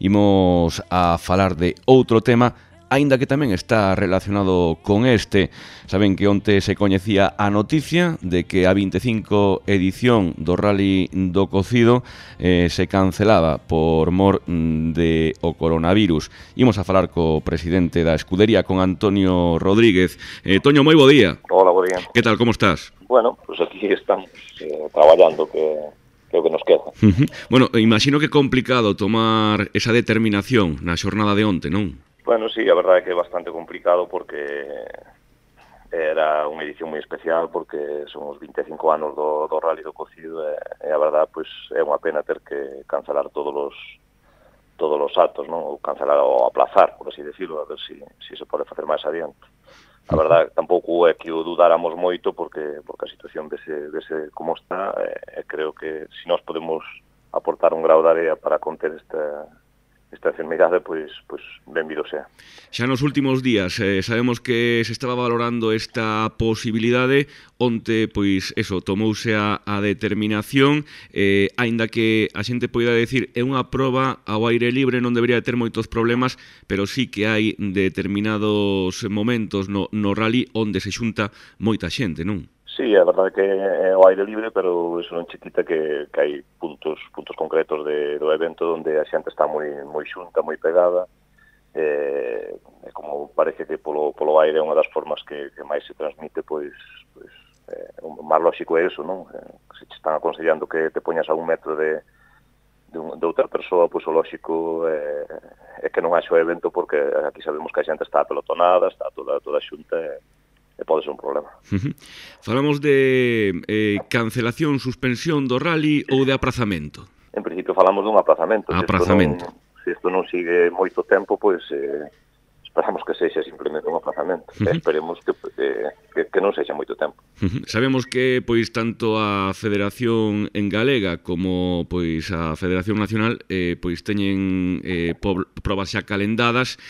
Imos a falar de outro tema, aínda que tamén está relacionado con este. Saben que onte se coñecía a noticia de que a 25 edición do Rally do Cocido se cancelaba por mor de o coronavirus. Imos a falar co presidente da escudería, con Antonio Rodríguez. Toño, moi bo día. Hola, bo día. Que tal, como estás? Bueno, pues aquí estamos traballando, que é o que nos queda. Bueno, imagino que é complicado tomar esa determinación na xornada de onte, non? Bueno, sí, a verdade é que é bastante complicado porque era unha edición moi especial, porque son os 25 anos do Rally do Cocido e a verdade, pois, é unha pena ter que cancelar todos os actos, non? Ou cancelar ou aplazar, por así decirlo, a ver se se pode facer máis adiante. A verdade, tampouco é que o dudáramos moito porque a situación vese como está, e creo que se nós podemos aportar un grau de area para conter esta enfermidade, pois benvido sea. Xa nos últimos días sabemos que se estaba valorando esta posibilidade. Onte, pois, eso, tomouse a determinación, aínda que a xente poida decir é unha proba ao aire libre, non debería ter moitos problemas, pero sí que hai determinados momentos no rally onde se xunta moita xente, non? Sí, a verdade que é o aire libre, pero iso non che quita que hai puntos concretos do evento onde a xente está moi xunta, moi pegada, e como parece que polo aire é unha das formas que máis se transmite, pois o máis lógico é iso, non? Se te están aconsellando que te poñas a 1 metro de outra persoa, pois o lógico é que non haxe o evento, porque aquí sabemos que a xente está apelotonada, está toda xunta, e pode ser un problema. Falamos de cancelación, suspensión do rally ou de aprazamento? En principio falamos dun aprazamento. Se isto non sigue moito tempo, pois esperamos que sexa simplemente un aprazamento. Esperemos que non sexa moito tempo. Sabemos que pois tanto a Federación en Galega como pois a Federación Nacional pois teñen probas xa calendadas.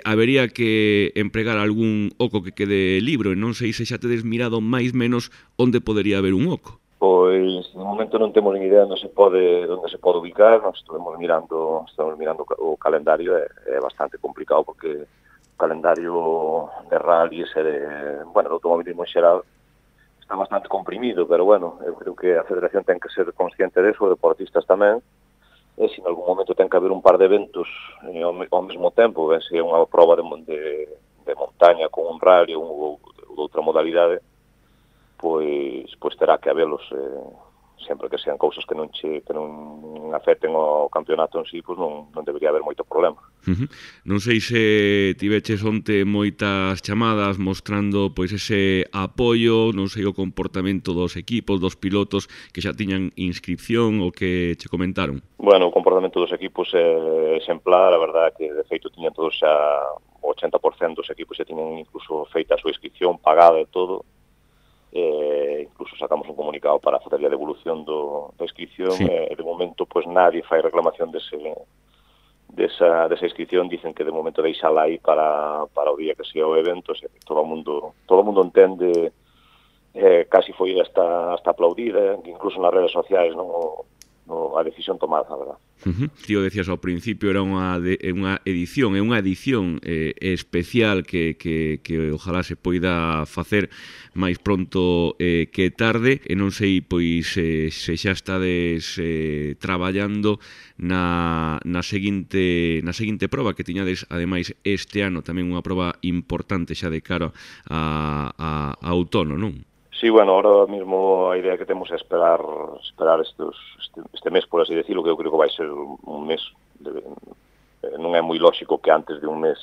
Habería que empregar algún oco que quede libro, e non sei se xa tedes mirado máis menos onde podería haber un oco. Pois, no momento non temos ni idea onde se pode ubicar. Nós estamos mirando o calendario, é bastante complicado, porque o calendario de rallies e do automobilismo en xeral está bastante comprimido, pero bueno, eu creo que a Federación ten que ser consciente deso, os deportistas tamén, e se en algún momento ten que haber un par de eventos ao mesmo tempo, se é unha prova de montaña con un rally ou de outra modalidade, pois terá que habelos, sempre que sean cousas que non afecten ao campeonato en sí, pois non debería haber moito problema. Non sei se tiveches onte moitas chamadas mostrando pois ese apoio, non sei o comportamento dos equipos, dos pilotos que xa tiñan inscripción ou que che comentaron. Bueno, o comportamento dos equipos é exemplar, a verdade que de feito tiñan todos xa o 80% dos equipos xa tiñan incluso feita a súa inscripción, pagada e todo. Incluso sacamos un comunicado para facer a devolución da inscripción, sí. De momento pois nadie fai reclamación desa inscripción. Dicen que de momento deixala aí para o día que sea o evento. Todo o mundo entende, casi foi hasta aplaudida, incluso nas redes sociais, non a decisión tomada, a verdad. Tío, decías ao principio, era unha edición especial que ojalá se poida facer máis pronto que tarde, e non sei pois se xa estades traballando na seguinte proba que tiñades ademais este ano, tamén unha proba importante xa de cara a outono, non? Sí, bueno, ahora mismo a idea que temos é esperar este mes, por así decirlo, que eu creo que vai ser un mes. Non é moi lógico que antes de un mes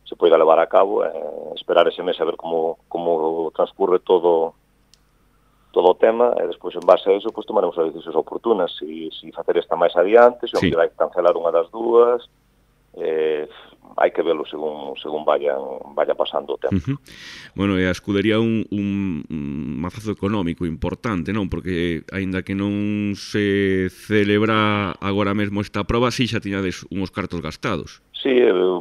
se poida levar a cabo, esperar ese mes a ver como transcurre todo o tema, e despois en base a eso pues, tomaremos as decisións oportunas, se facer esta máis adiante, se hai que cancelar unha das dúas. Hai que velo según vaya pasando o tempo. Bueno, e a escudería un mazazo económico importante, non? Porque aínda que non se celebra agora mesmo esta proba, si xa tiñades unhos cartos gastados. Sí,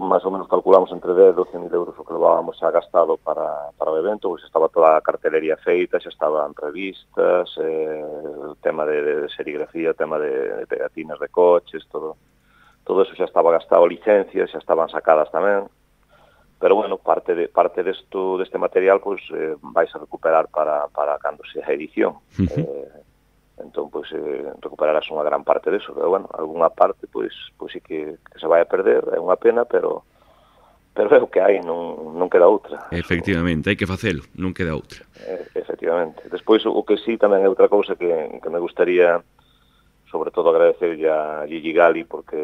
máis ou menos calculamos entre 10 e 12 mil euros o que levábamos xa gastado para o evento, pois estaba toda a cartelería feita, xa estaban revistas, o tema de serigrafía, o tema de pegatinas de coches, todo todo eso xa estaba gastado, licencias xa estaban sacadas tamén, pero bueno, parte deste material pois vais a recuperar para cando sea a edición. Entón, pois, recuperarás unha gran parte deso, pero bueno, algunha parte, pois sí que se vai a perder, é unha pena, pero é o que hai, non queda outra. Efectivamente, hai que facelo, non queda outra. Efectivamente. Despois, o que sí tamén é outra cousa que me gustaría, sobre todo, agradecerlle a Gigi Gali, porque,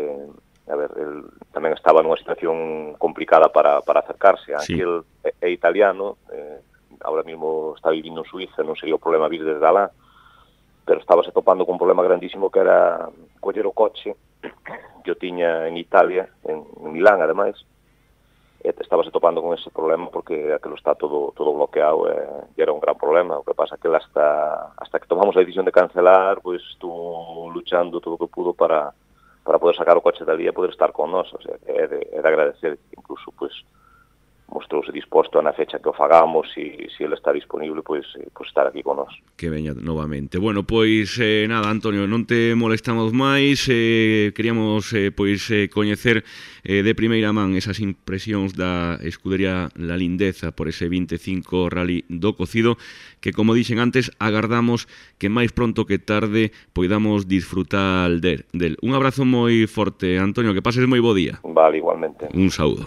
a ver, el tamén estaba nunha situación complicada para acercarse. Sí. Aquí el é italiano, ahora mismo está vivindo en Suiza, non sería o problema vir desde alá, pero estábase topando con un problema grandísimo que era coller o coche, que o tiña en Italia, en Milán, ademais, e estábase topando con ese problema porque aquilo está todo bloqueado, e era un gran problema. O que pasa que hasta que tomamos a decisión de cancelar, pois estuvo luchando todo o que pudo para poder sacar o coche dali e poder estar con nós. O sea, é de agradecer, incluso, pois, mostrouse disposto na fecha que o fagamos, e se ele está disponible, pois estar aquí con nós. Que veña novamente. Bueno, pois nada, Antonio, non te molestamos máis, queríamos pois coñecer de primeira man esas impresións da escudería La Lindeza por ese 25 Rally do Cocido, que, como dixen antes, agardamos que máis pronto que tarde poidamos disfrutar del. Un abrazo moi forte, Antonio, que pases moi bo día. Vale, igualmente. Un saúdo.